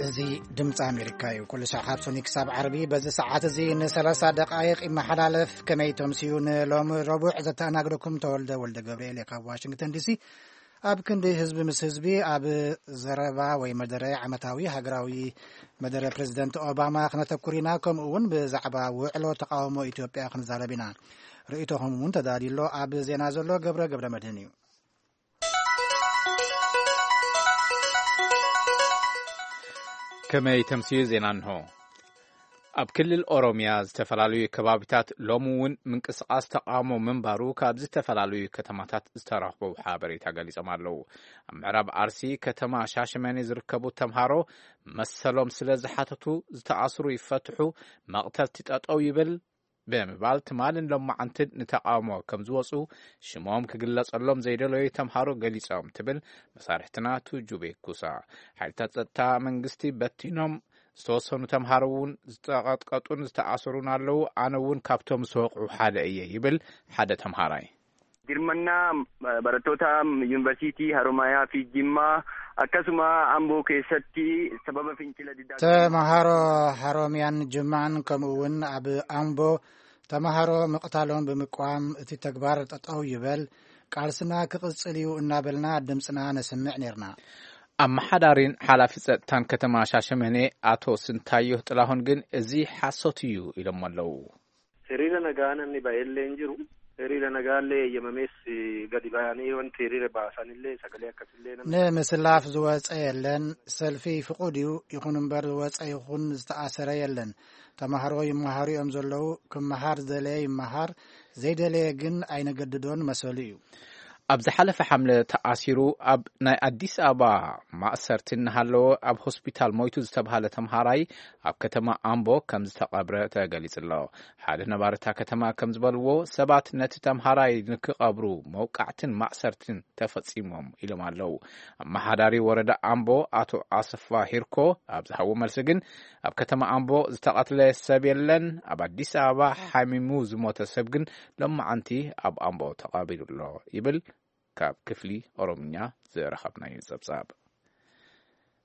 እዚ ድምፂ ኣሜሪካ እዩ። ኩሉ ሰዓት ካብ ሶኒ ክሳብ ዓርቢ በዚ ሰዓት እዚ ን30 ደቃይቕ ይመሓላለፍ። ከመይ ተምስዩ? ንሎሚ ረቡዕ ዘተኣናግደኩም ተወልደ ወልደ ገብርኤል እየ ካብ ዋሽንግተን ዲሲ። ኣብ ክንዲ ህዝቢ ምስ ህዝቢ ኣብ ዘረባ ወይ መደረ ዓመታዊ ሃገራዊ መደረ ፕሬዚደንት ኦባማ ክነተኩር ኢና። ከምኡ እውን ብዛዕባ ውዕሎ ተቃውሞ ኢትዮጵያ ክንዛረብ ኢና። ርእይቶኹም እውን ተዳልዩ ኣሎ። ኣብ ዜና ዘሎ ገብረ ገብረ መድህን እዩ። ከመይ ተምስዩ? ዜና እንሆ። ኣብ ክልል ኦሮምያ ዝተፈላለዩ ከባቢታት ሎሚ እውን ምንቅስቃስ ተቃውሞ ምንባሩ ካብ ዝተፈላለዩ ከተማታት ዝተረኽቡ ሓበሬታ ገሊጾም ኣለዉ። ኣብ ምዕራብ ኣርሲ ከተማ ሻሸመኔ ዝርከቡ ተምሃሮ መሰሎም ስለ ዝሓተቱ ዝተኣስሩ ይፈትሑ፣ መቕተልቲ ጠጠው ይብል ብምባል ትማልን ሎማዓንትን ንተቃውሞ ከም ዝወፁ ሽሞም ክግለጸሎም ዘይደለዩ ተምሃሮ ገሊጾም ትብል መሳርሕትና ቱጁቤ ኩሳ። ሓይልታት ጸጥታ መንግስቲ በቲኖም ዝተወሰኑ ተምሃሮ እውን ዝተቐጥቀጡን ዝተኣሰሩን ኣለዉ። ኣነ እውን ካብቶም ዝተወቕዑ ሓደ እየ ይብል ሓደ ተምሃራይ። Dirmannaa barattoota yuunivarsiitii Haromaayaa fi Jimmaa akkasuma Amboo keessatti sababa fincila diddaa ተምሃሮ ሃሮሚያን ጅማን ከምኡ እውን ኣብ ኣምቦ ተምሃሮ ምቕታሎም ብምቋም እቲ ተግባር ጠጠው ይበል፣ ቃልስና ክቕጽል እዩ እናበልና ድምፅና ነስምዕ ነርና። ኣመሓዳሪን ሓላፊ ጸጥታን ከተማ ሻሸመኔ ኣቶ ስንታዮህ ጥላሁን ግን እዚ ሓሶት እዩ ኢሎም ኣለዉ። Hiriira nagaa namni ba'ellee hin jiru. Hiriira nagaallee eeyyamamees gadi ba'anii wanti hiriira baasanillee sagalee akkasillee namni ንምስላፍ ዝወፀ የለን። ሰልፊ ፍቑድ እዩ። ይኹን እምበር ዝወፀ ይኹን ዝተኣሰረ የለን። ተምሃሮ ይመሃሩ እዮም ዘለዉ። ክመሃር ዝደለየ ይመሃር፣ ዘይደለየ ግን ኣይነገድዶን መሰሉ እዩ። ኣብ ዝሓለፈ ሓምለ ተኣሲሩ ኣብ ናይ ኣዲስ ኣበባ ማእሰርቲ እናሃለወ ኣብ ሆስፒታል ሞይቱ ዝተባሃለ ተምሃራይ ኣብ ከተማ ኣምቦ ከም ዝተቐብረ ተገሊጹ ኣሎ። ሓደ ነባሪ እታ ከተማ ከም ዝበልዎ ሰባት ነቲ ተምሃራይ ንክቐብሩ መውቃዕትን ማእሰርትን ተፈጺሞም ኢሎም ኣለዉ። ኣመሓዳሪ ወረዳ ኣምቦ ኣቶ ኣሰፋ ሂርኮ ኣብ ዝሃቦ መልሲ ግን ኣብ ከተማ ኣምቦ ዝተቐትለ ሰብ የለን። ኣብ ኣዲስ ኣበባ ሓሚሙ ዝሞተ ሰብ ግን ሎማዓንቲ ኣብ ኣምቦ ተቐቢሩ ኣሎ ይብል ካብ ክፍሊ ኦሮምኛ ዝረኸብናዮ ጸብጻብ።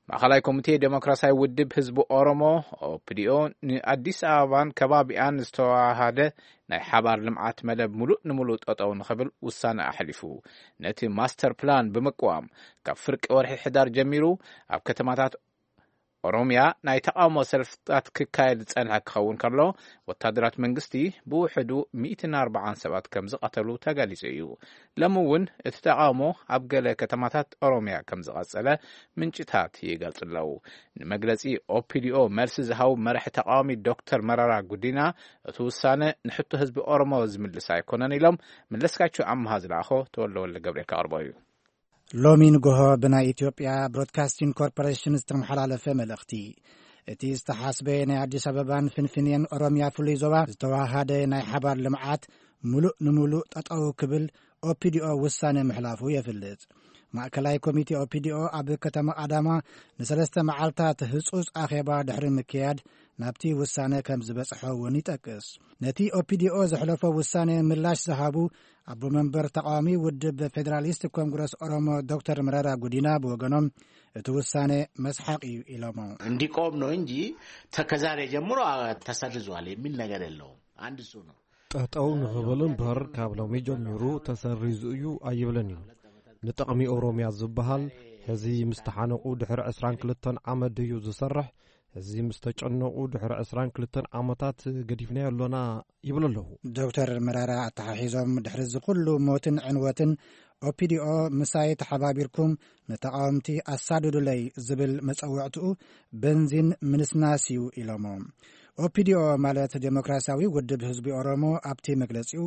ማእኸላይ ኮሚቴ ዴሞክራሲያዊ ውድብ ህዝቢ ኦሮሞ፣ ኦፒዲኦ፣ ንኣዲስ ኣበባን ከባቢኣን ዝተዋሃደ ናይ ሓባር ልምዓት መደብ ሙሉእ ንሙሉእ ጠጠው ንኽብል ውሳነ ኣሕሊፉ። ነቲ ማስተር ፕላን ብምቅዋም፣ ካብ ፍርቂ ወርሒ ሕዳር ጀሚሩ ኣብ ከተማታት ኦሮምያ ናይ ተቃውሞ ሰልፍታት ክካየድ ዝጸንሐ ክኸውን ከሎ፣ ወታደራት መንግስቲ ብውሕዱ ሚእትን ኣርባዓን ሰባት ከም ዝቐተሉ ተገሊጹ እዩ። ሎሚ እውን እቲ ተቃውሞ ኣብ ገለ ከተማታት ኦሮምያ ከም ዝቐጸለ ምንጭታት ይገልጹ ኣለዉ። ንመግለጺ ኦፒዲኦ መልሲ ዝሃቡ መራሒ ተቃዋሚ ዶክተር መረራ ጉዲና፣ እቲ ውሳነ ንሕቶ ህዝቢ ኦሮሞ ዝምልስ ኣይኮነን ኢሎም። መለስካቸው ኣምሃ ዝለኣኾ ተወልደ ወልደ ገብርኤል ከቕርቦ እዩ። ሎሚ ንጎሆ ብናይ ኢትዮጵያ ብሮድካስቲንግ ኮርፖሬሽን ዝተመሓላለፈ መልእኽቲ፣ እቲ ዝተሓስበ ናይ ኣዲስ ኣበባን ፍንፍኔን ኦሮምያ ፍሉይ ዞባ ዝተዋሃደ ናይ ሓባር ልምዓት ሙሉእ ንሙሉእ ጠጠው ክብል ኦፒዲኦ ውሳነ ምሕላፉ የፍልጥ። ማእከላይ ኮሚቴ ኦፒዲኦ ኣብ ከተማ ኣዳማ ንሰለስተ መዓልታት ህጹጽ ኣኼባ ድሕሪ ምክያድ ናብቲ ውሳነ ከም ዝበጽሖ እውን ይጠቅስ። ነቲ ኦፒዲኦ ዘሕለፎ ውሳነ ምላሽ ዝሃቡ ኣቦ መንበር ተቃዋሚ ውድብ ፌዴራሊስት ኮንግረስ ኦሮሞ ዶክተር መረራ ጉዲና ብወገኖም እቲ ውሳኔ መስሓቅ እዩ ኢሎሞ። እንዲቆም ነው እንጂ ከዛሬ ጀምሮ ተሰርዟል የሚል ነገር የለውም። አንድ እሱ ነው። ጠጠው ንኽብል እምበር ካብ ሎሚ ጀሚሩ ተሰሪዙ እዩ ኣይብልን እዩ። ንጥቕሚ ኦሮምያ ዝበሃል ሕዚ ምስ ተሓነቑ ድሕሪ ዕስራን ክልተን ዓመት ድዩ ዝሰርሕ? ሕዚ ምስ ተጨነቑ ድሕሪ ዕስራን ክልተን ዓመታት ገዲፍናዮ ኣሎና ይብሉ ኣለዉ። ዶክተር መራራ ኣተሓሒዞም፣ ድሕሪ እዚ ኩሉ ሞትን ዕንወትን ኦፒዲኦ ምሳይ ተሓባቢርኩም ንተቓወምቲ ኣሳድዱለይ ዝብል መጸውዕትኡ በንዚን ምንስናስ እዩ ኢሎሞ። ኦፒዲኦ ማለት ዴሞክራሲያዊ ውድብ ህዝቢ ኦሮሞ ኣብቲ መግለጺኡ፣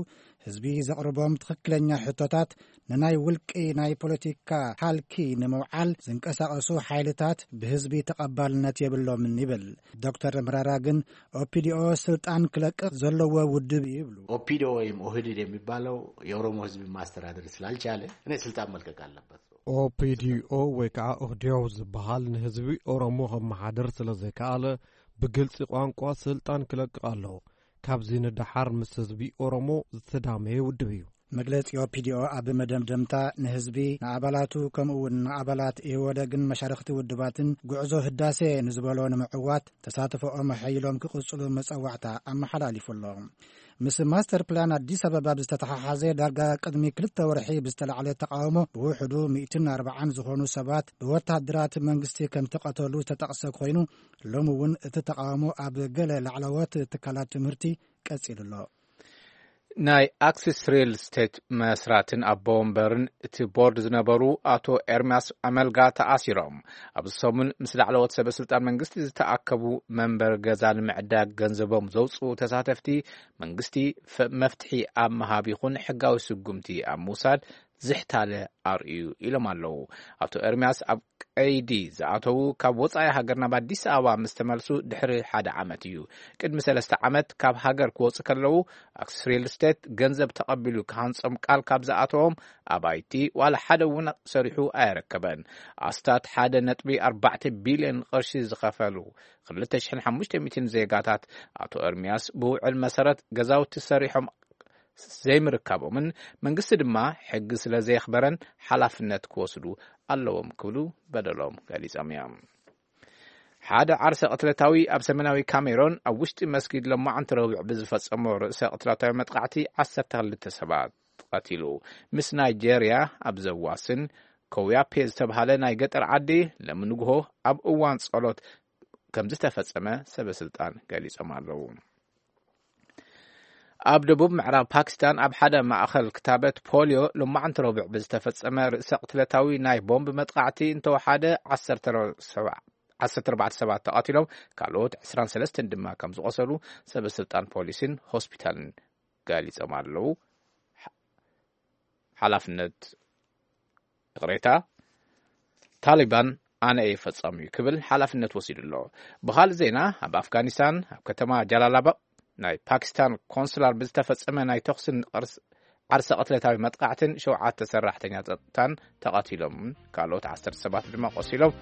ህዝቢ ዘቕርቦም ትኽክለኛ ሕቶታት ንናይ ውልቂ ናይ ፖለቲካ ሃልኪ ንምውዓል ዝንቀሳቐሱ ሓይልታት ብህዝቢ ተቐባልነት የብሎምን ይብል። ዶክተር መራራ ግን ኦፒዲኦ ስልጣን ክለቅቕ ዘለዎ ውድብ እዩ ይብሉ። ኦፒዲኦ ወይም ኦህዴድ የሚባለው የኦሮሞ ህዝብ ማስተዳደር ስላልቻለ እኔ ስልጣን መልቀቅ አለበት። ኦፒዲኦ ወይ ከዓ ኦህዴድ ዝበሃል ንህዝቢ ኦሮሞ ከመሓድር ስለ ዘይከኣለ ብግልፂ ቋንቋ ስልጣን ክለቅቕ ኣለዎ። ካብዚ ንደሓር ምስ ህዝቢ ኦሮሞ ዝተዳመየ ውድብ እዩ። መግለጺ ኦፒዲኦ ኣብ መደምደምታ ንህዝቢ፣ ንኣባላቱ፣ ከምኡ እውን ንኣባላት ኢህወደግን መሻርኽቲ ውድባትን ጉዕዞ ህዳሴ ንዝበሎ ንምዕዋት ተሳትፎኦም ኣሐይሎም ክቕጽሉ መጸዋዕታ ኣመሓላሊፉ ኣሎ። ምስ ማስተር ፕላን ኣዲስ ኣበባ ብዝተተሓሓዘ፣ ዳርጋ ቅድሚ ክልተ ወርሒ ብዝተላዕለ ተቃውሞ ብውሕዱ ሚእትን ኣርባዓን ዝኾኑ ሰባት ብወታደራት መንግስቲ ከም ተቐተሉ ዝተጠቕሰ ኮይኑ፣ ሎሚ እውን እቲ ተቃውሞ ኣብ ገለ ላዕለዎት ትካላት ትምህርቲ ቀጺሉ ኣሎ። ናይ ኣክሲስ ሪል ስቴት መስራትን ኣቦ ወንበርን እቲ ቦርድ ዝነበሩ ኣቶ ኤርምያስ ኣመልጋ ተኣሲሮም። ኣብዚ ሰሙን ምስ ላዕለዎት ሰበ ስልጣን መንግስቲ ዝተኣከቡ መንበር ገዛ ንምዕዳግ ገንዘቦም ዘውፅኡ ተሳተፍቲ መንግስቲ ፈ-፣ መፍትሒ ኣብ ምሃብ ይኹን ሕጋዊ ስጉምቲ ኣብ ምውሳድ ዝሕታለ ኣርእዩ ኢሎም ኣለዉ። ኣቶ ኤርምያስ ኣብ ቀይዲ ዝኣተዉ ካብ ወጻኢ ሃገር ናብ ኣዲስ ኣበባ ምስ ተመልሱ ድሕሪ ሓደ ዓመት እዩ። ቅድሚ ሰለስተ ዓመት ካብ ሃገር ክወጹ ከለዉ ኣክሲስ ሪል ስቴት ገንዘብ ተቐቢሉ ክሃንጾም ቃል ካብ ዝኣተዎም ኣባይቲ ዋላ ሓደ እውን ሰሪሑ ኣየረከበን። ኣስታት ሓደ ነጥቢ ኣርባዕተ ቢልዮን ቅርሺ ዝኸፈሉ ክልተ ሽሕን ሓሙሽተ ሚእትን ዜጋታት ኣቶ ኤርምያስ ብውዕል መሰረት ገዛውቲ ሰሪሖም ዘይምርካቦምን መንግስቲ ድማ ሕጊ ስለ ዘየኽበረን ሓላፍነት ክወስዱ ኣለዎም ክብሉ በደሎም ገሊጾም እዮም። ሓደ ዓርሰ ቅትለታዊ ኣብ ሰሜናዊ ካሜሮን ኣብ ውሽጢ መስጊድ ሎማዓንቲ ረቡዕ ብዝፈጸሞ ርእሰ ቅትለታዊ መጥቃዕቲ ዓሰርተ ክልተ ሰባት ቀቲሉ። ምስ ናይጄርያ ኣብ ዘዋስን ኮውያፔ ዝተብሃለ ናይ ገጠር ዓዲ ለምንግሆ ኣብ እዋን ጸሎት ከም ዝተፈጸመ ሰበ ስልጣን ገሊጾም ኣለዉ። ኣብ ደቡብ ምዕራብ ፓኪስታን ኣብ ሓደ ማእኸል ክታበት ፖልዮ ሎማዓንቲ ረቡዕ ብዝተፈጸመ ርእሰ ቅትለታዊ ናይ ቦምብ መጥቃዕቲ እንተወሓደ ዓሰርተ ኣርባዕተ ሰባት ተቐቲሎም፣ ካልኦት ዕስራን ሰለስተን ድማ ከም ዝቖሰሉ ሰበ ስልጣን ፖሊስን ሆስፒታልን ገሊጾም ኣለዉ። ሓ-፣ ሓላፍነት፣ ይቕሬታ፣ ታሊባን ኣነ እየ ፈጻሚኡ ክብል ሓላፍነት ወሲዱ ኣሎ። ብኻልእ ዜና፣ ኣብ ኣፍጋኒስታን ኣብ ከተማ ጃላላባድ ናይ ፓኪስታን ኮንስላር ብዝተፈጸመ ናይ ተኹስን ቅርስ-፣ ዓርሰ ቅትለታዊ መጥቃዕትን ሸውዓተ ሰራሕተኛ ጸጥታን ተቐቲሎም፣ ካልኦት ዓሰርተ ሰባት ድማ ቆሲሎም።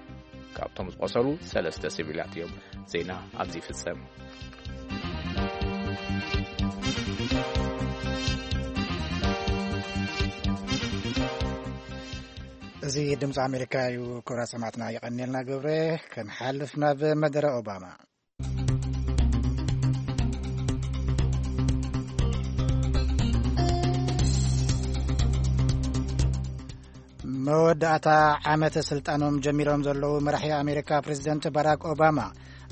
ካብቶም ዝቆሰሉ ሰለስተ ሲቪላት እዮም። ዜና ኣብዚ ይፍጸም። እዚ ድምፂ ኣሜሪካ እዩ። ክቡራት ሰማዕትና፣ የቐንየልና ግብረ። ክንሓልፍ ናብ መደረ ኦባማ። መወዳእታ ዓመተ ስልጣኖም ጀሚሮም ዘለዉ መራሒ ኣሜሪካ ፕሬዚደንት ባራክ ኦባማ፣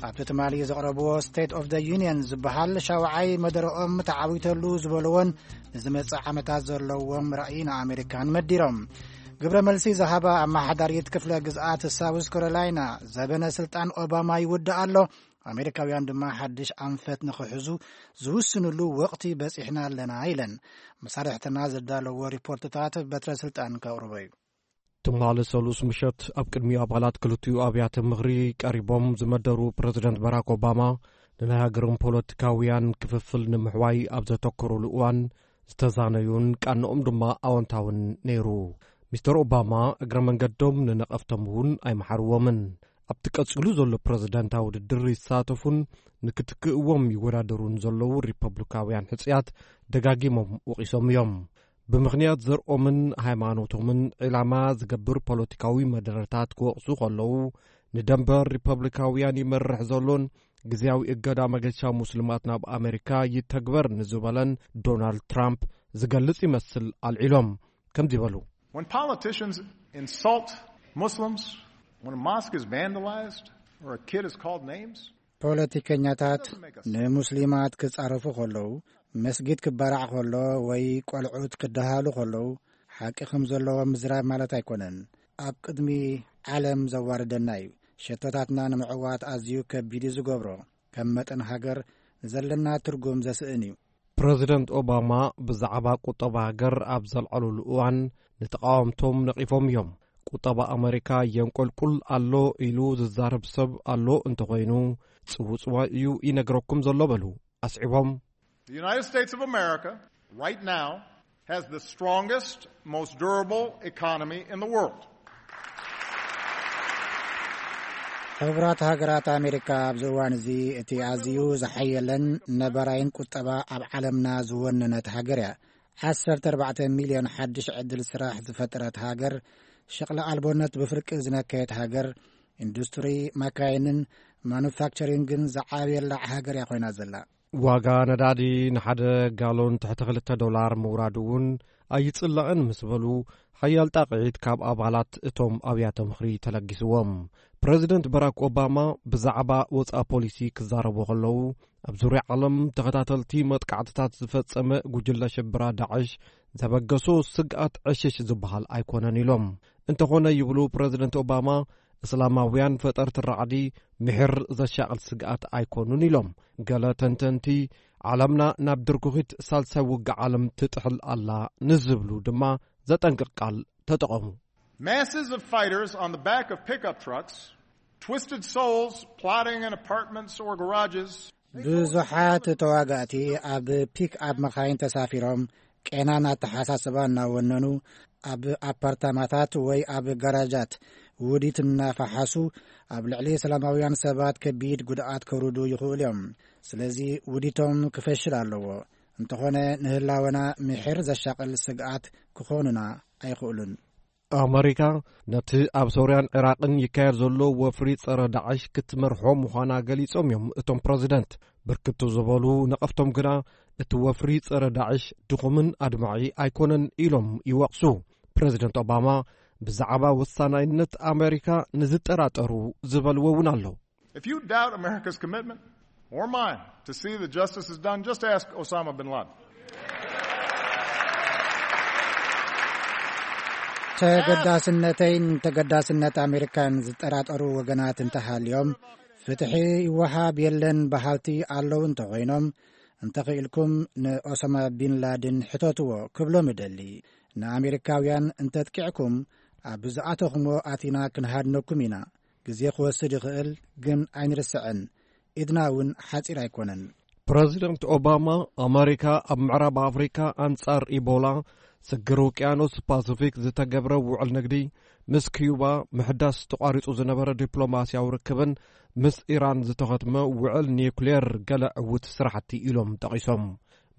ኣብቲ ትማሊ ዘቕረብዎ ስቴት ኦፍ ዘ ዩኒየን ዝበሃል ሻውዓይ መደረኦም ተዓዊተሉ ዝበልዎን ንዝመጽእ ዓመታት ዘለዎም ራእይ ንኣሜሪካን መዲሮም። ግብረ መልሲ ዝሃባ ኣመሓዳሪት ክፍለ ግዝኣት ሳውዝ ካሮላይና፣ ዘበነ ስልጣን ኦባማ ይውዳእ ኣሎ፣ ኣሜሪካውያን ድማ ሓድሽ ኣንፈት ንኽሕዙ ዝውስንሉ ወቕቲ በጺሕና ኣለና ኢለን። መሳርሕትና ዘዳለዎ ሪፖርትታት በትረ ስልጣን ከቕርቦ እዩ። ትማሊ ሰሉስ ምሸት ኣብ ቅድሚ ኣባላት ክልቲኡ ኣብያተ ምኽሪ ቀሪቦም ዝመደሩ ፕረዚደንት ባራክ ኦባማ፣ ንናይ ሃገሮም ፖለቲካውያን ክፍፍል ንምሕዋይ ኣብ ዘተኮሩሉ እዋን ዝተዛነዩን ቃንኦም ድማ ኣወንታውን ነይሩ። ሚስተር ኦባማ እግረ መንገዶም ንነቐፍቶም እውን ኣይመሓርዎምን። ኣብቲ ቀጺሉ ዘሎ ፕረዚደንታዊ ውድድር ይሳተፉን ንክትክእዎም ይወዳደሩን ዘለዉ ሪፐብሊካውያን ሕጽያት ደጋጊሞም ወቒሶም እዮም። ብምኽንያት ዘርኦምን ሃይማኖቶምን ዒላማ ዝገብር ፖለቲካዊ መደረታት ክወቕሱ ከለዉ፣ ንደንበ ሪፐብሊካውያን ይመርሕ ዘሎን ግዝያዊ እገዳ መገሻ ሙስሊማት ናብ ኣሜሪካ ይተግበር ንዝበለን ዶናልድ ትራምፕ ዝገልጽ ይመስል ኣልዒሎም። ከምዚ በሉ። When politicians insult Muslims, when a mosque is vandalized or a kid is called names, ፖለቲከኛታት ንሙስሊማት ክጻረፉ ከለዉ፣ መስጊድ ክበራዕ ከሎ ወይ ቆልዑት ክደሃሉ ከለዉ፣ ሓቂ ከም ዘለዎ ምዝራብ ማለት ኣይኮነን። ኣብ ቅድሚ ዓለም ዘዋርደና እዩ። ሸቶታትና ንምዕዋት ኣዝዩ ከቢድ እዩ ዝገብሮ። ከም መጠን ሃገር ንዘለና ትርጉም ዘስእን እዩ። ፕረዚደንት ኦባማ ብዛዕባ ቁጠባ ሃገር ኣብ ዘልዓሉሉ እዋን ንተቓወምቶም ነቒፎም እዮም። ቁጠባ ኣመሪካ የንቆልቁል ኣሎ ኢሉ ዝዛረብ ሰብ ኣሎ እንተኾይኑ፣ ጽውጽዋይ እዩ ይነግረኩም ዘሎ በሉ። ኣስዒቦም፣ The United States of America right now has the strongest, most durable economy in the world. ሕቡራት ሃገራት ኣሜሪካ ኣብዚ እዋን እዚ እቲ ኣዝዩ ዝሓየለን ነባራይን ቁጠባ ኣብ ዓለምና ዝወነነት ሃገር እያ። ዓሰርተ ኣርባዕተ ሚልዮን ሓድሽ ዕድል ስራሕ ዝፈጠረት ሃገር፣ ሸቕሊ ኣልቦነት ብፍርቂ ዝነከየት ሃገር፣ ኢንዱስትሪ መካይንን ማኑፋክቸሪንግን ዝዓብየላ ሃገር እያ ኮይና ዘላ። ዋጋ ነዳዲ ንሓደ ጋሎን ትሕቲ ክልተ ዶላር ምውራዱ እውን ኣይጽላእን ምስ በሉ፣ ሓያል ጣቕዒት ካብ ኣባላት እቶም ኣብያተ ምኽሪ ተለጊስዎም። ፕረዚደንት በራክ ኦባማ ብዛዕባ ወጻኢ ፖሊሲ ክዛረቡ ከለዉ፣ ኣብ ዙርያ ዓለም ተኸታተልቲ መጥቃዕትታት ዝፈጸመ ጉጅለ ሽብራ ዳዕሽ ዘበገሶ ስግኣት ዕሽሽ ዝበሃል ኣይኮነን ኢሎም። እንተኾነ ይብሉ ፕረዚደንት ኦባማ፣ እስላማውያን ፈጠርቲ ራዕዲ ምሒር ዘሻቕል ስግኣት ኣይኮኑን ኢሎም። ገለ ተንተንቲ፣ ዓለምና ናብ ድርኩኺት ሳልሳይ ውግእ ዓለም ትጥሕል ኣላ ንዝብሉ ድማ ዘጠንቅቕ ቃል ተጠቐሙ። Masses of fighters on the back of pickup trucks, twisted souls plotting in apartments or garages. ብዙሓት ተዋጋእቲ ኣብ ፒክ ኣብ መኻይን ተሳፊሮም፣ ቄናን ኣተሓሳስባ እናወነኑ፣ ኣብ ኣፓርታማታት ወይ ኣብ ጋራጃት ውዲት እናፈሓሱ ኣብ ልዕሊ ሰላማውያን ሰባት ከቢድ ጉድኣት ከውርዱ ይኽእሉ እዮም። ስለዚ ውዲቶም ክፈሽል ኣለዎ። እንተኾነ ንህላወና ምሒር ዘሻቕል ስግኣት ክኾኑና ኣይኽእሉን። ኣመሪካ ነቲ ኣብ ሶርያን ዒራቕን ይካየድ ዘሎ ወፍሪ ጸረ ዳዕሽ ክትመርሖ ምዃና ገሊጾም እዮም እቶም ፕረዚደንት። ብርክቱ ዝበሉ ነቐፍቶም ግና እቲ ወፍሪ ጸረ ዳዕሽ ድኹምን ኣድማዒ ኣይኮነን ኢሎም ይወቕሱ። ፕረዚደንት ኦባማ ብዛዕባ ወሳናይነት ኣመሪካ ንዝጠራጠሩ ዝበልዎ እውን ኣሎ። If you doubt America's commitment or mine to see that justice is done, just ask Osama bin Laden. ተገዳስነተይን ተገዳስነት ኣሜሪካን ዝጠራጠሩ ወገናት እንተሃልዮም፣ ፍትሒ ይወሃብ የለን በሃልቲ ኣለዉ እንተኾይኖም፣ እንተኽኢልኩም ንኦሳማ ቢን ላድን ሕተትዎ ክብሎም እደሊ። ንኣሜሪካውያን እንተጥቂዕኩም፣ ኣብ ዝኣተኹሞ ኣቲና ክንሃድነኩም ኢና። ግዜ ክወስድ ይኽእል፣ ግን ኣይንርስዕን። ኢድና እውን ሓጺር ኣይኮነን። ፕረዚደንት ኦባማ፣ ኣመሪካ ኣብ ምዕራብ ኣፍሪካ ኣንጻር ኢቦላ፣ ስግር ውቅያኖስ ፓሲፊክ ዝተገብረ ውዕል ንግዲ፣ ምስ ኪዩባ ምሕዳስ ተቋሪጹ ዝነበረ ዲፕሎማስያዊ ርክብን ምስ ኢራን ዝተኸትመ ውዕል ኒውክሌር ገለ ዕዉት ስራሕቲ ኢሎም ጠቒሶም።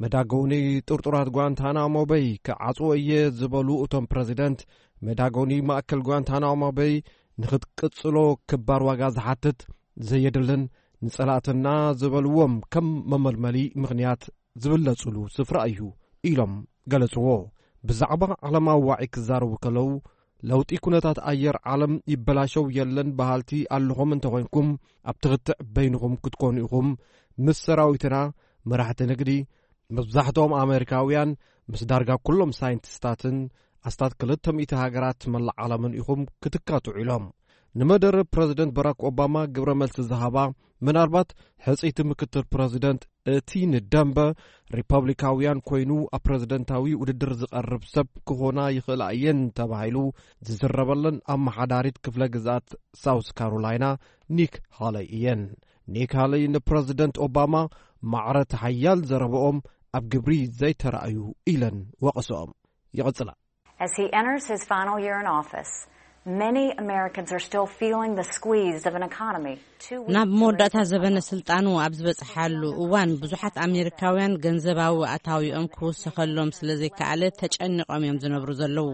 መዳጎኒ ጥርጡራት ጓንታናሞ በይ ክዓጽዎ እየ ዝበሉ እቶም ፕረዚደንት፣ መዳጎኒ ማእከል ጓንታናሞ በይ ንኽትቅጽሎ ክባር ዋጋ ዝሓትት፣ ዘየድልን ንጸላእትና ዝበልዎም ከም መመልመሊ ምኽንያት ዝብለጹሉ ስፍራ እዩ ኢሎም ገለጽዎ። ብዛዕባ ዓለማዊ ዋዒ ክዛረቡ ከለዉ፣ ለውጢ ኩነታት ኣየር ዓለም ይበላሸው የለን በሃልቲ ኣለኹም እንተኾይንኩም፣ ኣብ ትኽትዕ በይንኹም ክትኮኑ ኢኹም። ምስ ሰራዊትና፣ መራሕቲ ንግዲ፣ መብዛሕትኦም ኣሜሪካውያን፣ ምስ ዳርጋ ኩሎም ሳይንቲስታትን ኣስታት ክልተ ሚእቲ ሃገራት መላእ ዓለምን ኢኹም ክትካትዑ ኢሎም። ንመደረ ፕረዚደንት ባራክ ኦባማ ግብረ መልሲ ዝሃባ፣ ምናልባት ሕጽይቲ ምክትል ፕረዚደንት እቲ ንደንበ ሪፐብሊካውያን ኮይኑ ኣብ ፕረዚደንታዊ ውድድር ዝቐርብ ሰብ ክኾና ይኽእላ እየን ተባሂሉ ዝዝረበለን ኣመሓዳሪት ክፍለ ግዝኣት ሳውስ ካሮላይና ኒክ ሃለይ እየን። ኒክ ሃለይ ንፕረዚደንት ኦባማ ማዕረ እቲ ሓያል ዘረበኦም ኣብ ግብሪ ዘይተራእዩ ኢለን ወቐሰኦም። ይቕጽላ። As he enters his final year in office, many Americans are still feeling the squeeze of an economy two weeks ናብ መወዳእታ ዘበነ ስልጣኑ ኣብ ዝበጽሓሉ እዋን፣ ብዙሓት ኣሜሪካውያን ገንዘባዊ ኣታዊኦም ክውሰኸሎም ስለ ዘይከኣለ ተጨኒቖም እዮም ዝነብሩ ዘለዉ።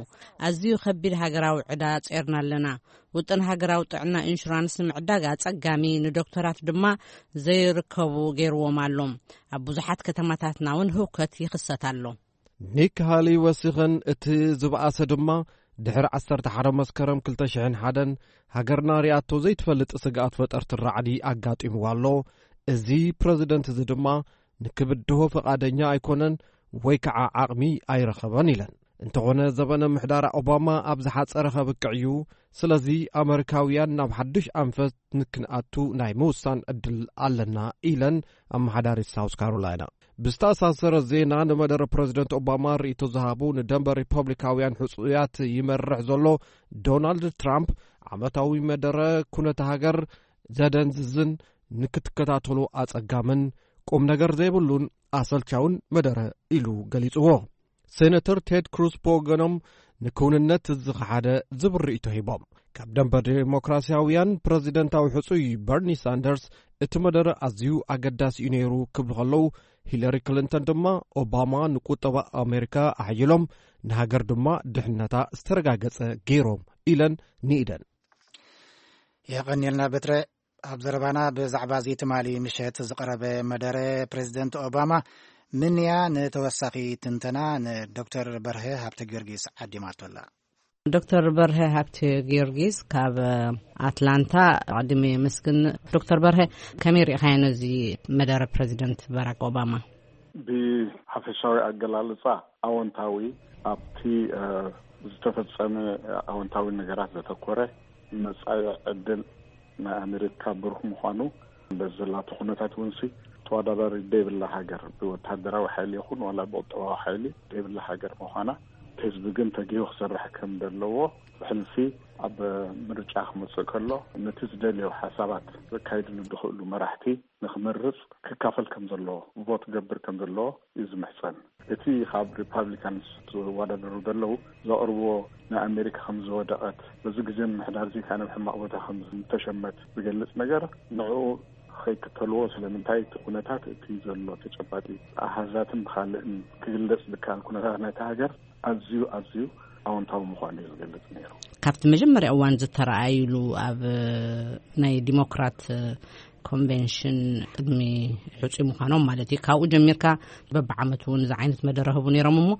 ኣዝዩ ከቢድ ሃገራዊ ዕዳ ጼርና ኣለና። ውጥን ሃገራዊ ጥዕና ኢንሹራንስ ንምዕዳግ ኣጸጋሚ፣ ንዶክተራት ድማ ዘይርከቡ ገይርዎም ኣሎ። ኣብ ብዙሓት ከተማታትና እውን ህውከት ይኽሰት ኣሎ። ኒክ ሃሊ ወሲኸን፣ እቲ ዝበኣሰ ድማ ድሕሪ ዓሰርተ ሓደ መስከረም ክልተ ሽሕን ሓደን ሃገርና ሪኣቶ ዘይትፈልጥ ስግኣት ፈጠርቲ ራዕዲ ኣጋጢምዋ ኣሎ። እዚ ፕረዚደንት እዚ ድማ ንክብድሆ ፈቓደኛ ኣይኮነን ወይ ከዓ ዓቕሚ ኣይረኸበን ኢለን። እንተኾነ ዘበነ ምሕዳር ኦባማ ኣብ ዝሓጸረ ከብቅዕ እዩ። ስለዚ ኣመሪካውያን ናብ ሓድሽ ኣንፈት ንክንኣቱ ናይ ምውሳን ዕድል ኣለና ኢለን ኣመሓዳሪት ሳውስ ካሮላይና። ብዝተኣሳሰረ ዜና ንመደረ ፕረዚደንት ኦባማ ርእይቶ ዝሃቡ ንደንበ ሪፐብሊካውያን ሕጹያት ይመርሕ ዘሎ ዶናልድ ትራምፕ ዓመታዊ መደረ ኩነተ ሃገር ዘደንዝዝን ንክትከታተሎ ኣጸጋምን ቁም ነገር ዘይብሉን ኣሰልቻውን መደረ ኢሉ ገሊጽዎ። ሴነተር ቴድ ክሩዝ ብወገኖም ንክውንነት ዝኸሓደ ዝብል ርእይቶ ሂቦም። ካብ ደንበ ዴሞክራሲያውያን ፕረዚደንታዊ ሕጹይ በርኒ ሳንደርስ እቲ መደረ ኣዝዩ ኣገዳሲ እዩ ነይሩ ክብሉ ከለዉ፣ ሂለሪ ክሊንተን ድማ ኦባማ ንቁጠባ ኣሜሪካ ኣሕይሎም፣ ንሃገር ድማ ድሕነታ ዝተረጋገጸ ገይሮም ኢለን ንኢደን። የቐንየልና በትረ። ኣብ ዘረባና ብዛዕባ እዚ ትማሊ ምሸት ዝቐረበ መደረ ፕሬዚደንት ኦባማ ምንያ ንተወሳኺ ትንተና ንዶክተር በርሀ ሃብተ ጊዮርጊስ ዓዲማቶ ኣላ። ዶክተር በርሀ ሃብተ ጊዮርጊስ ካብ ኣትላንታ ኣቐዲመ የመስግን። ዶክተር በርሀ፣ ከመይ ርኢኻዮ ነዚ መደረ ፕሬዚደንት ባራክ ኦባማ? ብሓፈሻዊ ኣገላልጻ ኣወንታዊ፣ ኣብቲ ዝተፈጸመ ኣወንታዊ ነገራት ዘተኮረ፣ መጻኢ ዕድል ናይ ኣሜሪካ ብሩህ ምዃኑ፣ በዚ ዘላቶ ኩነታት እውን ሲ ተወዳዳሪ ደይብላ ሃገር፣ ብወታደራዊ ሓይሊ ይኹን ዋላ ብቁጠባዊ ሓይሊ ደይብላ ሃገር ምዃና፣ ህዝቢ ግን ተጊሁ ክሰርሕ ከም ዘለዎ፣ ብሕልፊ ኣብ ምርጫ ክመጽእ ከሎ ነቲ ዝደልዮ ሓሳባት ዘካይድሉ ዝኽእሉ መራሕቲ ንክመርጽ ክካፈል ከም ዘለዎ፣ ቮት ክገብር ከም ዘለዎ እዩ ዝምሕጸን። እቲ ካብ ሪፓብሊካንስ ዝወዳደሩ ዘለዉ ዘቕርብዎ፣ ንኣሜሪካ ከም ዝወደቐት፣ በዚ ግዜ ምምሕዳር እዚ ከኣ ናብ ሕማቕ ቦታ ከም ዝተሸመት ዝገልጽ ነገር፣ ንዕኡ ከይክተልዎ። ስለምንታይ? እቲ ኩነታት፣ እቲ ዘሎ ተጨባጢ ኣሃዛትን ብኻልእን ክግለጽ ዝከኣል ኩነታት ናይታ ሃገር ኣዝዩ ኣዝዩ ኣወንታዊ ምዃኑ እዩ ዝገልጽ ነይሩ። ካብቲ መጀመርያ እዋን ዝተረኣይሉ ኣብ ናይ ዲሞክራት ኮንቬንሽን ቅድሚ ሕጹይ ምዃኖም ማለት እዩ፣ ካብኡ ጀሚርካ በብዓመቱ እውን እዚ ዓይነት መደረ ህቡ ነይሮም። እሞ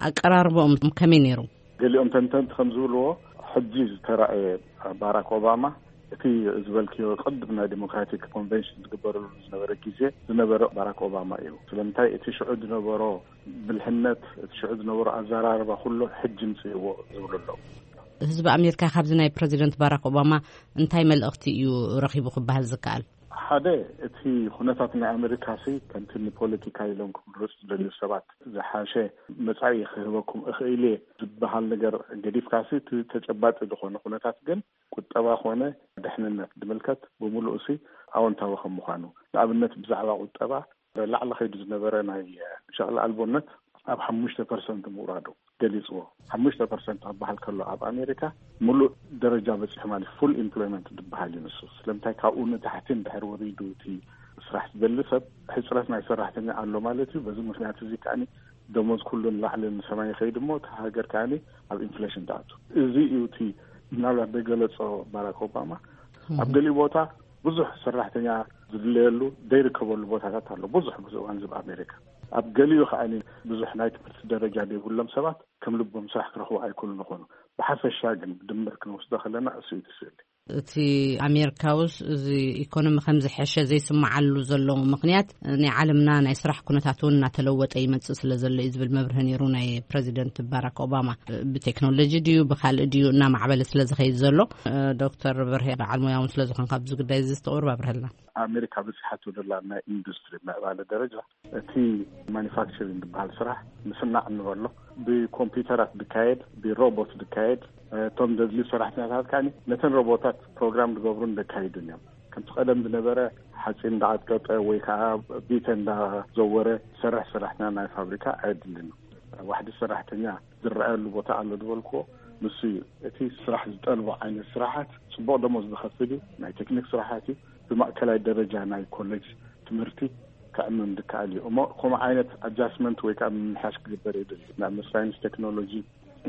ኣቀራርቦኦም ከመይ ነይሩ? ገሊኦም ተንተንቲ ከም ዝብልዎ፣ ሕጂ ዝተራእየ ባራክ ኦባማ፣ እቲ ዝበልክዮ ቅድም ናይ ዲሞክራቲክ ኮንቨንሽን ዝግበረሉ ዝነበረ ግዜ ዝነበረ ባራክ ኦባማ እዩ። ስለምንታይ? እቲ ሽዑ ዝነበሮ ብልሕነት፣ እቲ ሽዑ ዝነበሮ ኣዘራርባ ኩሉ ሕጂ ምጽእዎ ዝብሉ ኣለዉ። ህዝቢ ኣሜሪካ ካብዚ ናይ ፕረዚደንት ባራክ ኦባማ እንታይ መልእኽቲ እዩ ረኺቡ ክበሃል ዝከኣል? ሓደ፣ እቲ ኩነታት ናይ ኣሜሪካሲ ከምቲ ንፖለቲካ ኢሎም ክምረጹ ዝደልዩ ሰባት ዝሓሸ መጻኢ ክህበኩም እኽእል እየ ዝበሃል ነገር ገዲፍካሲ፣ እቲ ተጨባጢ ዝኾነ ኩነታት ግን ቁጠባ ኮነ ድሕንነት ዝምልከት ብምሉእሲ ኣወንታዊ ከም ምዃኑ፣ ንኣብነት ብዛዕባ ቁጠባ ላዕሊ ከይዱ ዝነበረ ናይ ሸቕሊ ኣልቦነት ኣብ ሓሙሽተ ፐርሰንት ምውራዱ ገሊጽዎ። ሓሙሽተ ፐርሰንት ክበሃል ከሎ ኣብ ኣሜሪካ ምሉእ ደረጃ በጺሑ ማለት ፉል ኢምፕሎይመንት ዝበሃል እዩ ንሱ። ስለምንታይ? ካብኡ ንታሕቲ እንድሕር ወሪዱ እቲ ስራሕ ዝደሊ ሰብ፣ ሕጽረት ናይ ሰራሕተኛ ኣሎ ማለት እዩ። በዚ ምኽንያት እዚ ከኣ ደሞዝ ኩሉ ንላዕሊ ንሰማይ ይኸይድ እሞ እታ ሃገር ከኣ ኣብ ኢንፍሌሽን ትኣቱ። እዚ እዩ እቲ ምናልባት ደገለጾ ባራክ ኦባማ። ኣብ ገሊኡ ቦታ ብዙሕ ሰራሕተኛ ዝድለየሉ ዘይርከበሉ ቦታታት ኣሎ። ብዙሕ ብዙሕ እዋን ዝብ ኣሜሪካ ኣብ ገሊኡ ከኣ ብዙሕ ናይ ትምህርቲ ደረጃ ዘይብሎም ሰባት ከም ልቦም ስራሕ ክረኽቡ ኣይክእሉን ይኾኑ። ብሓፈሻ ግን ብድምር ክንወስዶ ከለና እሱ እዩ እቲ ስእሊ። እቲ ኣሜሪካውስ እዚ ኢኮኖሚ ከም ዝሐሸ ዘይስምዓሉ ዘሎ ምኽንያት ናይ ዓለምና ናይ ስራሕ ኩነታት እውን እናተለወጠ ይመጽእ ስለ ዘሎ እዩ ዝብል መብርሂ ነይሩ ናይ ፕረዚደንት ባራክ ኦባማ። ብቴክኖሎጂ ድዩ ብካልእ ድዩ እናማዕበለ ስለ ዝኸይድ ዘሎ። ዶክተር በርሄ በዓል ሙያ እውን ስለ ዝኾንካ ኣብዚ ጉዳይ እዚ ዝተቕርብ ኣብርሀልና። ኣሜሪካ በፂሓቶ ዘላ ናይ ኢንዱስትሪ ምዕባለ ደረጃ እቲ ማኒፋክቸሪንግ ዝበሃል ስራሕ ምስናዕ እንበሎ ብኮምፒውተራት ዝካየድ ብሮቦት ዝካየድ እቶም ዘድልዩ ሰራሕተኛታት ከኣ ነተን ሮቦታት ፕሮግራም ዝገብሩን ዘካይዱን እዮም። ከምቲ ቀደም ዝነበረ ሓፂን እንዳዓጥቀጠ ወይ ከዓ ቢተ እንዳዘወረ ዝሰርሕ ሰራሕተኛ ናይ ፋብሪካ ኣየድልን። ዋሕዲ ሰራሕተኛ ዝረኣየሉ ቦታ ኣሎ ዝበልክዎ ንሱ እዩ። እቲ ስራሕ ዝጠልቦ ዓይነት ስራሓት ፅቡቕ ደሞዝ ዝኸፍል እዩ። ናይ ቴክኒክ ስራሓት እዩ። ብማእከላይ ደረጃ ናይ ኮሌጅ ትምህርቲ ከዕምም ዝከኣል እዩ። እሞ ከምኡ ዓይነት ኣጃስትመንት ወይ ከዓ ምምሕያሽ ክግበር የድሊ። ንኣብነት ሳይንስ፣ ቴክኖሎጂ፣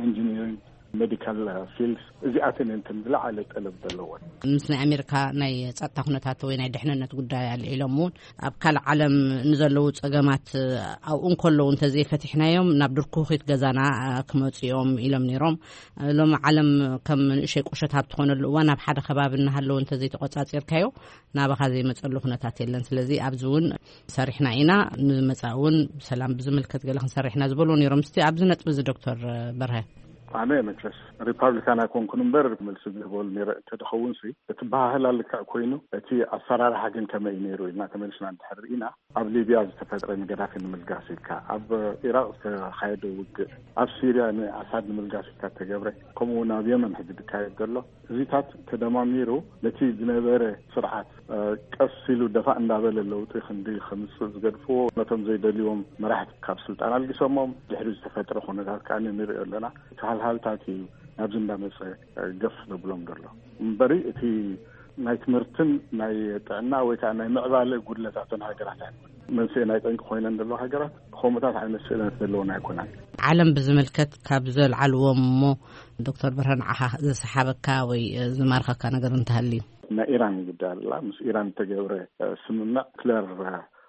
ኢንጂኒሪንግ፣ ሜዲካል ፊልድስ እዚኣተን እየን እተን ዝለዓለ ጠለብ ዘለወን። ምስ ናይ ኣሜሪካ ናይ ጸጥታ ኩነታት ወይ ናይ ድሕንነት ጉዳይ ኣልዒሎም እውን ኣብ ካልእ ዓለም ንዘለዉ ጸገማት ኣብኡ እንከለዉ እንተዘይፈቲሕናዮም ናብ ድርኩኺት ገዛና ክመጹ እዮም ኢሎም ነይሮም። ሎሚ ዓለም ከም ንእሸይ ቁሸት ኣብ ትኾነሉ እዋን ኣብ ሓደ ከባቢ እናሃለዉ እንተዘይተቆጻጺርካዮ ናባኻ ዘይመጸሉ ኩነታት የለን። ስለዚ ኣብዚ እውን ሰሪሕና ኢና፣ ንመጻኢ እውን ብሰላም ብዝምልከት ገለ ክንሰርሕ ኢና ዝበልዎ ነይሮም። እስቲ ኣብዚ ነጥቢ እዚ ዶክተር በርሀ። ኣነ መቸስ ሪፓብሊካን ኣይኮንኩን እምበር መልሲ ዝህበሉ ነይረ እንተድኸውን ሲ እቲ ባህህላ ልክዕ ኮይኑ እቲ ኣሰራርሓ ግን ከመይ እዩ ነይሩ ኢልና ተመልስና እንድሕር ርኢና ኣብ ሊብያ ዝተፈጥረ ንገዳፊ ንምልጋስ ኢልካ ኣብ ኢራቅ ዝተኻየደ ውግእ ኣብ ሲርያ ንኣሳድ ንምልጋስ ኢልካ ተገብረ ከምኡ እውን ኣብ የመን ሕጂ ዝካየድ ዘሎ እዚታት ተደማሚሩ ነቲ ዝነበረ ስርዓት ቀስ ኢሉ ደፋእ እንዳበለ ለውጢ ክንዲ ከምፅእ ዝገድፍዎ ነቶም ዘይደልይዎም መራሕቲ ካብ ስልጣን ኣልጊሶሞም ድሕሪ ዝተፈጥረ ኩነታት ከዓ ንሪኦ ኣለና። እቲ ሃልሃልታት እዩ ናብዚ እንዳመፀ ገፍ ዘብሎም ዘሎ እምበሪ እቲ ናይ ትምህርትን ናይ ጥዕና ወይ ከዓ ናይ ምዕባለ ጉድለታትን ሃገራት ኣይኮን። መንስኤ ናይ ጠንቂ ኮይነን ዘለዋ ሃገራት ከምኡታት ዓይነት ስእነት ዘለወን ኣይኮናን። ዓለም ብዝምልከት ካብ ዘልዓልዎም እሞ ዶክተር ብርሃን ዓኻ ዝሰሓበካ ወይ ዝማርኸካ ነገር እንተሃልዩ? ናይ ኢራን ጉዳይ ኣላ። ምስ ኢራን እተገብረ ስምምዕ፣ ኒክለር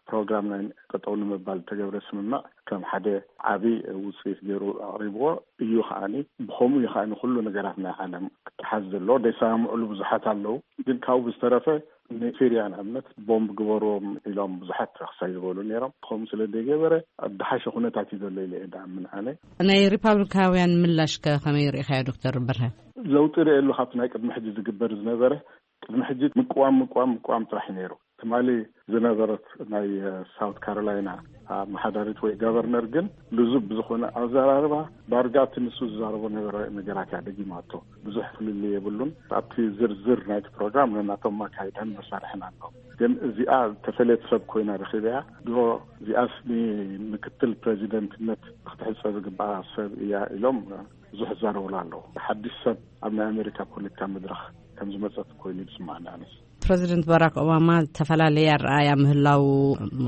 ፕሮግራም ናይ ጠጠው ንምባል እተገብረ ስምምዕ ከም ሓደ ዓቢ ውፅኢት ገይሩ ኣቕሪብዎ እዩ። ከዓኒ ብኸምኡ እዩ ከዓኒ ኩሉ ነገራት ናይ ዓለም ክተሓዝ ዘለዎ። ደይሰማምዕሉ ብዙሓት ኣለዉ፣ ግን ካብኡ ብዝተረፈ ንሲርያ ንኣብነት ቦምብ ግበርዎም ኢሎም ብዙሓት ክሳይ ዝበሉ ነይሮም። ከምኡ ስለ ዘይገበረ ኣብ ዝሓሸ ኩነታት እዩ ዘሎ ኢለ እየ ድኣምን ኣነ። ናይ ሪፓብሊካውያን ምላሽ ከ ከመይ ርኢኻዮ ዶክተር በርሀ? ለውጢ ርእየሉ ካብቲ ናይ ቅድሚ ሕጂ ዝግበር ዝነበረ። ቅድሚ ሕጂ ምቅዋም ምቅዋም ምቅዋም ጥራሕ እዩ ነይሩ። ትማሊ ዝነበረት ናይ ሳውት ካሮላይና ኣመሓዳሪት ወይ ጋቨርነር ግን ልዙብ ብዝኾነ ኣዘራርባ ዳርጋ እቲ ንሱ ዝዛረቦ ነበረ ነገራት እያ ደጊማቶ። ብዙሕ ፍልልይ የብሉን። ኣብቲ ዝርዝር ናይቲ ፕሮግራም ነናቶም ኣካይዳን መሳርሕን ኣለዉ። ግን እዚኣ ተፈለየት ሰብ ኮይና ረኺበያ። ድሮ እዚኣስ ንምክትል ፕሬዚደንትነት ክትሕጸ ዝግባኣ ሰብ እያ ኢሎም ብዙሕ ይዛረቡላ ኣለዉ። ሓድሽ ሰብ ኣብ ናይ ኣሜሪካ ፖለቲካ መድረኽ ከም ዝመጸት ኮይኑ እዩ ዝስማዓኒ ኣነስ። ፕረዚደንት ባራክ ኦባማ ዝተፈላለየ ኣረኣያ ምህላው፣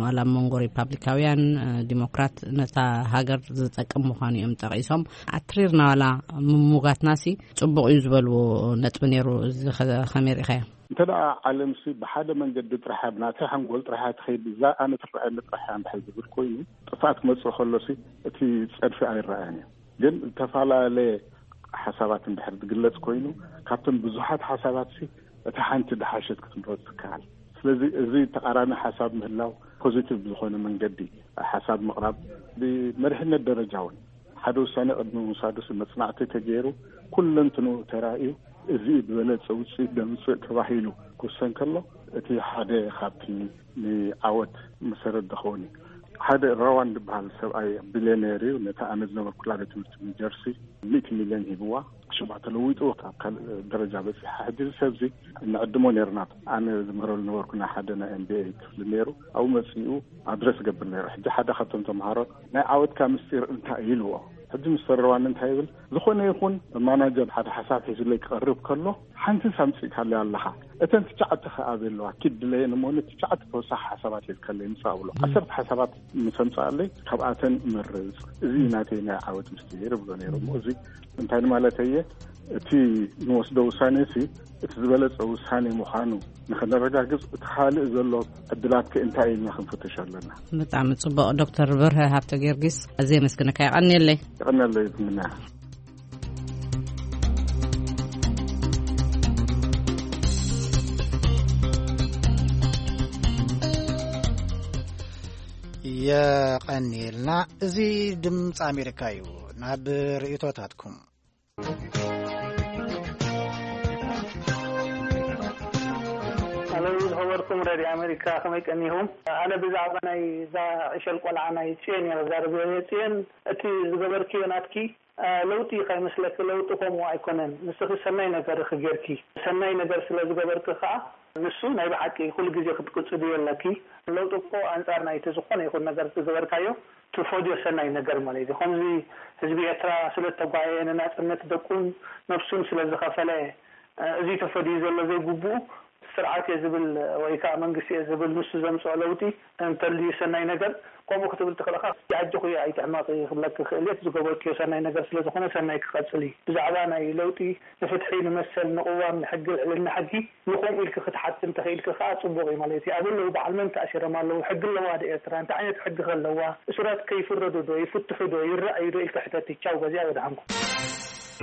ዋላ ኣብ መንጎ ሪፓብሊካውያን ዲሞክራት፣ ነታ ሃገር ዝጠቅም ምዃኑ እዮም ጠቒሶም። ኣትሪርና ዋላ ምሙጋትናሲ ጽቡቕ እዩ ዝበልዎ ነጥቢ ነይሩ። እዚ ኸ-፣ ከመይ ርኢኻዮ? እንተ ደኣ ዓለምሲ ብሓደ መንገዲ ጥራሕ፣ ብናተይ ሓንጎል ጥራሕ ትኸይድ፣ እዛ ኣነ ትረኣየኒ ጥራሕ እያ እንድሕር ዝብል ኮይኑ፣ ጥፍኣት ክመጽእ ከሎሲ እቲ ጸድፊ ኣይረኣያን እዩ። ግን ዝተፈላለየ ሓሳባት እንድሕር ዝግለጽ ኮይኑ፣ ካብተን ብዙሓት ሓሳባትሲ እታ ሓንቲ ድሓሸት ክትምረጽ ትከኣል። ስለዚ እዚ ተቓራኒ ሓሳብ ምህላው፣ ፖዚቲቭ ብዝኾነ መንገዲ ሓሳብ ምቕራብ፣ ብመሪሕነት ደረጃ እውን ሓደ ውሳኔ ቅድሚ ምውሳዱሲ መጽናዕቲ ተገይሩ፣ ኩለንትንኡ ተራእዩ፣ እዚ ዝበለጸ ውጽኢት ደምጽእ ተባሂሉ ክውሰን ከሎ፣ እቲ ሓደ ካብቲ ንዓወት መሰረት ዝኸውን እዩ። ሓደ ራዋን ዝበሃል ሰብኣይ ቢልዮኔር እዩ። ነታ ኣነ ዝነበርኩላ ቤት ትምህርቲ ኒው ጀርሲ ሚእቲ ሚልዮን ሂብዋ፣ ሽማ ተለዊጡ ካብ ካልእ ደረጃ በጺሓ። ሕጂ እዚ ሰብዚ ንዕድሞ ነይርና። ኣነ ዝምህረሉ ነበርኩ፣ ናይ ሓደ ናይ ኤምቢኤ ክፍሊ ነይሩ። ኣብኡ መጺኡ ኣድረስ ይገብር ነይሩ። ሕጂ ሓደ ካብቶም ተምሃሮ፣ "ናይ ዓወትካ ምስጢር እንታይ?" ኢልዎ። ሕጂ ሚስተር ራዋን እንታይ ይብል? "ዝኾነ ይኹን ማናጀር ሓደ ሓሳብ ሒዙለይ ክቐርብ ከሎ፣ ሓንቲ ኣምጺእካለይ ኣለኻ። እተን ትሽዓተ ከ ኣበይ ኣለዋ? ኪድ ድለየን እሞ፣ ንትሽዓተ ተወሳኺ ሓሳባት ሒዝካለይ ምጻእ" ብሎ። "ዓሰርተ ሓሳባት ምስ ኣምጻኣለይ፣ ካብኣተን መርጽ። እዚ እዩ ናተይ ናይ ዓወት ምስጢር" ብሎ ነይሩ። እሞ እዚ እንታይ ንማለተይ እየ? እቲ ንወስዶ ውሳኔ ሲ፣ እቲ ዝበለጸ ውሳኔ ምዃኑ ንኸነረጋግጽ፣ እቲ ካልእ ዘሎ ዕድላት ከ እንታይ ኢልና ክንፍትሽ ኣለና? ብጣዕሚ ጽቡቕ ዶክተር በርሀ ሃብተ ጊዮርጊስ፣ ኣዝየ የመስግነካ። የቐንየለይ። የቐንየለይ ዝምና። የቐንየልና። እዚ ድምፂ ኣሜሪካ እዩ። ናብ ርእይቶታትኩም። ኣሎ፣ ዝኸበርኩም ሬድዮ ኣሜሪካ፣ ከመይ ቀኒኹም? ኣነ ብዛዕባ ናይ እዛ ዕሸል ቆልዓ ናይ ጽዮን እየ ክዛረብ። ጽዮን፣ እቲ ዝገበርክዮ ናትኪ፣ እ፣ ለውጢ ከይመስለኪ፣ ለውጢ ከምኡ ኣይኮነን። ንስኺ ሰናይ ነገር ኢኺ ጌርኪ። ሰናይ ነገር ስለ ዝገበርኪ ከኣ፣ ንሱ ናይ ብሓቂ ኩሉ ግዜ ክትቅጽልዮ ኣለኪ። ለውጢ እኮ ኣንጻር ናይቲ ዝኾነ ይኹን ነገር ዝገበርካዮ ትፈድዮ ሰናይ ነገር ማለት እዩ። ከምዚ ህዝቢ ኤርትራ ስለ እተጓየየ፣ ንናጽነት ደቁን ነብሱን ስለ ዝኸፈለ፣ እ፣ እዚ ተፈድዩ ዘሎ ዘይግቡእ ስርዓት እየ ዝብል ወይ ከዓ መንግስቲ እየ ዝብል ንሱ ዘምፅኦ ለውጢ እንተልዩ ሰናይ ነገር፣ ከምኡ ክትብል ትኽእል ኢኻ። ኣጆኺ ኣይትሕመቒ ክብለኪ ክእል እየ። እቲ ዝገበርክዮ ሰናይ ነገር ስለ ዝኾነ ሰናይ ክቐፅል እዩ። ብዛዕባ ናይ ለውጢ፣ ንፍትሒ፣ ንመሰል፣ ንቅዋም፣ ንሕጊ፣ ልዕልና ሕጊ ንኸምኡ ኢልኪ ክትሓቲ እንተኽኢልኪ ከዓ ፅቡቕ እዩ ማለት እዩ። ኣበይ ኣለዉ? በዓል መን ተኣሲሮም ኣለዉ? ሕጊ ኣለዋ ዶ ኤርትራ? እንታይ ዓይነት ሕጊ ከ ኣለዋ? እሱራት ከ ይፍረዱ ዶ? ይፍትሑ ዶ? ይረኣዩ ዶ? ኢልኪ ሕተቲ። ቻው፣ በዚኣ ወድሓንኩም።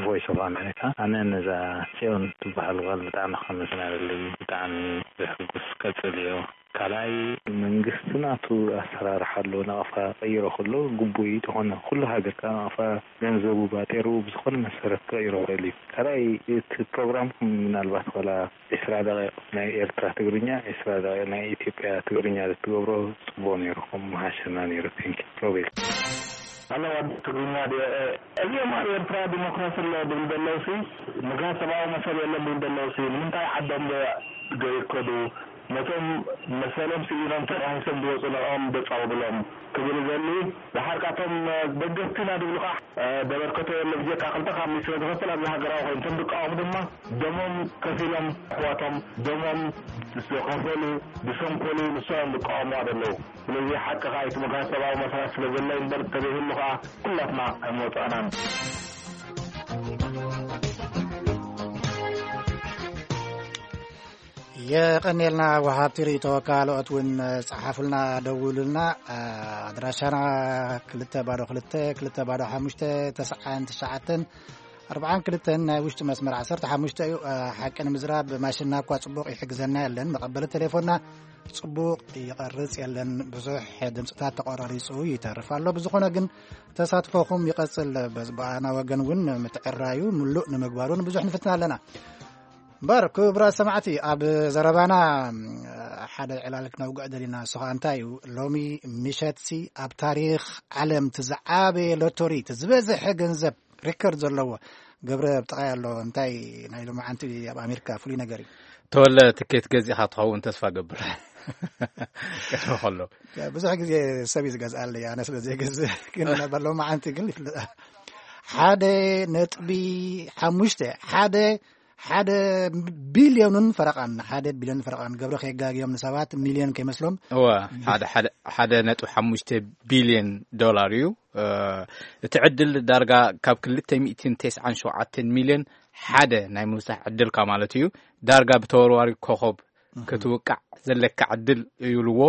ቮይስ ኦፍ ኣሜሪካ፣ ኣነ ነዛ ጽዮን ትበሃል ጓል ብጣዕሚ ከመስግና እደሊ። ብጣዕሚ ዘሕጉስ፣ ቀጽልዮ። ካልኣይ፣ መንግስቲ ናቱ ኣሰራርሓ ኣለዎ። ናቕፋ ቀይሮ ከሎ ግቡእ እዩ። ተኾነ ኩሉ ሃገር ከኣ ናቕፋ ገንዘቡ ባጤሩ ብዝኾነ መሰረት ክቕይሮ ይኽእል እዩ። ካልኣይ፣ እቲ ፕሮግራምኩም ምናልባት ዋላ ዒስራ ደቂቕ ናይ ኤርትራ ትግርኛ፣ ዒስራ ደቂቕ ናይ ኢትዮጵያ ትግርኛ ትገብሮ ጽቡቕ ነይሩ፣ ከም ምሓሸና ነይሩ። ቴንኪ ሮቤል። ኣለዋ ትግርኛ ድዮ? እዚኦም ኣብ ኤርትራ ዲሞክራሲ ኣሎ ድብል ዘለውሲ፣ ምክንያት ሰብኣዊ መሰል የለን ድብል ዘለውሲ፣ ንምንታይ ዓዶም ዶ ገይከዱ? ነቶም መሰሎም ስኢኖም ተናሂሶም ዝወፁ ንዕኦም ደፃውብሎም ክብል ዘሊ። ድሓር ካቶም ደገፍቲ ኢና ዝብሉ ከዓ ደበርከቶ የለ ብጀካ ክልተ ካብ ሚስት ዝኸፍል ኣብዚ ሃገራዊ ኮይኑ እቶም ዝቃወሙ ድማ ደሞም ከፊሎም ኣሕዋቶም ደሞም ዝኸፈሉ ዝሰንኮሉ ንሶም ዝቃወሙ ዘለዉ። ስለዚ ሓቂ ከዓ እቲ ምግሃስ ሰብኣዊ መሰላት ስለ ዘሎ እምበር ተዘይህሉ ከዓ ኩላትና ኣይመውፃእናን። የቐኔልና ወሃብቲ ርእቶ ካልኦት እውን ጸሓፉልና ደውሉልና። ኣድራሻና ክልተ ባዶ ክልተ ክልተ ባዶ ሓሙሽተ ተስዓን ትሽዓተን ኣርብዓን ክልተን ናይ ውሽጢ መስመር ዓሰርተ ሓሙሽተ እዩ። ሓቂ ንምዝራብ ማሽንና እኳ ጽቡቕ ይሕግዘና የለን፣ መቐበሊ ቴሌፎንና ጽቡቕ ይቐርጽ የለን፣ ብዙሕ ድምፅታት ተቆራሪጹ ይተርፍ ኣሎ። ብዝኾነ ግን ተሳትፎኹም ይቐጽል። በዝባኣና ወገን እውን ምትዕራዩ ምሉእ ንምግባሩን ብዙሕ ንፍትና ኣለና። እምበር ክቡራት ሰማዕቲ፣ ኣብ ዘረባና ሓደ ዕላል ክነውግዕ ደሊና። እሱ ከዓ እንታይ እዩ? ሎሚ ምሸትሲ ኣብ ታሪኽ ዓለም እቲ ዝዓበየ ሎቶሪ፣ እቲ ዝበዝሐ ገንዘብ ሪከርድ ዘለዎ ገብረ ብጥቓይ ኣሎ። እንታይ ናይ ሎማዓንቲ ኣብ ኣሜሪካ ፍሉይ ነገር እዩ? ተወለ ትኬት ገዚእኻ ትኸውን ተስፋ ገብር። ቀድሚ ከሎ ብዙሕ ግዜ ሰብ እዩ ዝገዝኣለይ፣ ኣነ ስለ ዘይገዝእ። ግን ሎማዓንቲ ግን ይፍለጥ። ሓደ ነጥቢ ሓሙሽተ ሓደ ሓደ ቢልዮንን ፈረቓን፣ ሓደ ቢልዮን ፈረቓን። ገብረ ከየጋግዮም ንሰባት፣ ሚልዮን ከይመስሎም። እወ፣ ሓደ ሓደ ሓደ ነጥቢ ሓሙሽተ ቢልዮን ዶላር እዩ። እቲ ዕድል ዳርጋ ካብ ክልተ ሚእትን ተስዓን ሸውዓተን ሚልዮን ሓደ ናይ ምብጻሕ ዕድልካ ማለት እዩ። ዳርጋ ብተወርዋሪ ኮኸብ ክትውቃዕ ዘለካ ዕድል እዩ ኢልዎ።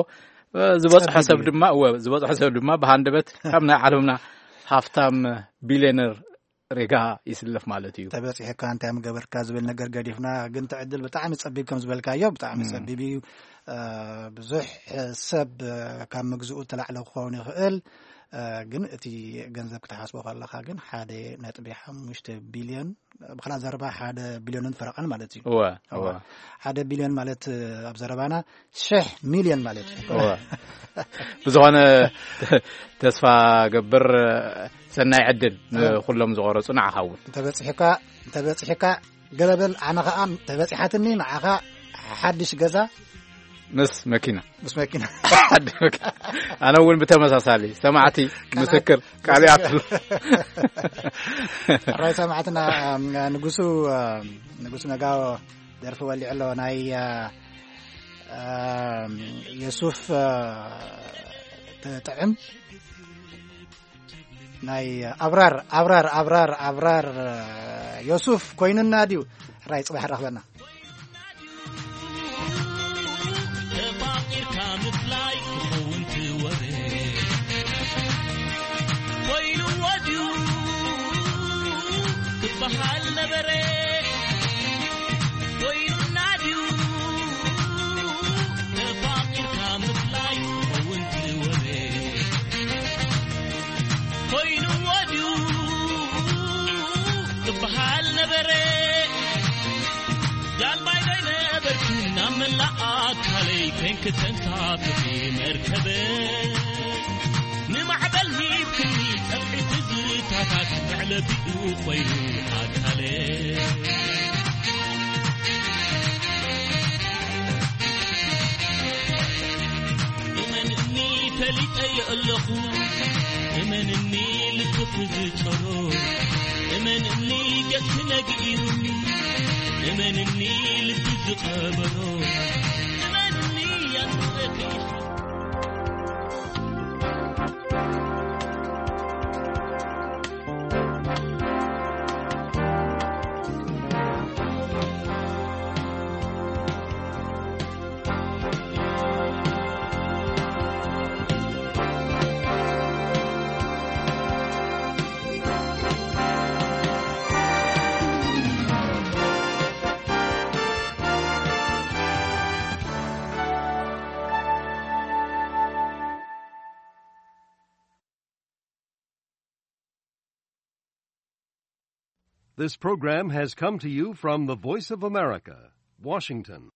ዝበጽሖ ሰብ ድማ እወ ዝበጽሖ ሰብ ድማ ብሃንደበት ካብ ናይ ዓለምና ሃፍታም ቢልዮነር ሬጋ ይስለፍ ማለት እዩ። ተበጺሕካ እንታይ ምገበርካ ዝብል ነገር ገዲፍና፣ ግን እቲ ዕድል ብጣዕሚ ጸቢብ ከም ዝበልካዮ ብጣዕሚ ጸቢብ እዩ። ብዙሕ ሰብ ካብ ምግዝኡ ተላዕለ ክኸውን ይኽእል። ግን እቲ ገንዘብ ክትሓስቦ ከለኻ ግን ሓደ ነጥቢ ሓሙሽተ ቢልዮን፣ ብኻልእ ዘረባ ሓደ ቢልዮንን ፈረቓን ማለት እዩ። እወ እወ። ሓደ ቢልዮን ማለት ኣብ ዘረባና ሽሕ ሚልዮን ማለት እዩ። እወ። ብዝኾነ ተስፋ ገብር ሰናይ ዕድል ንኹሎም ዝቆረጹ ንዓኻ እውን። እንተበጺሕካ እንተበጺሕካ ገለበል ኣነ ኸዓ ተበጺሓትኒ ንዓኻ ሓድሽ ገዛ ምስ መኪና። ምስ መኪና። ሓድሽ መኪና። ኣነ እውን ብተመሳሳሊ ሰማዕቲ ምስክር ቃል ይኣትሉ። ራይ ሰማዕትና ንጉሱ ንጉሱ ነጋዎ ደርፊ ወሊዑ ኣሎ ናይ የሱፍ ጥዕም ናይ ኣብራር ኣብራር ኣብራር ኣብራር ዮሱፍ ኮይኑና ድዩ? ሕራይ ጽባሕ ረኽበና። ተፋቂርካ ምፍላይ ክኸውን ትወረ ኮይኑዎ ድዩ ክበሃል ነበረ? ኮይኑና ድዩ ተፋቂርካ ምፍላይ ክኸውን ትወረ ኮይኑዎ ድዩ ክበሃል ነበረ? ጃልባይ ዶ ኣይነበርክን ናብ መላእ ኣካለይ ኮንክ ተንሳፍፊ መርከበ ንማዕበል ሂብክኒ ጸፍሒ ትዝታታት መዕለቢኡ ኮይኑ ኣካለ እመንኒ ፈሊጠዮ ኣለኹ እመንኒ ልብኺ ዝጸሮ እመንኒ ገጽኪ ነጊሩኒ እመንኒ ልቢ ዝቐበሮ እመንኒ ያንረከ This program has come to you from the Voice of America, Washington.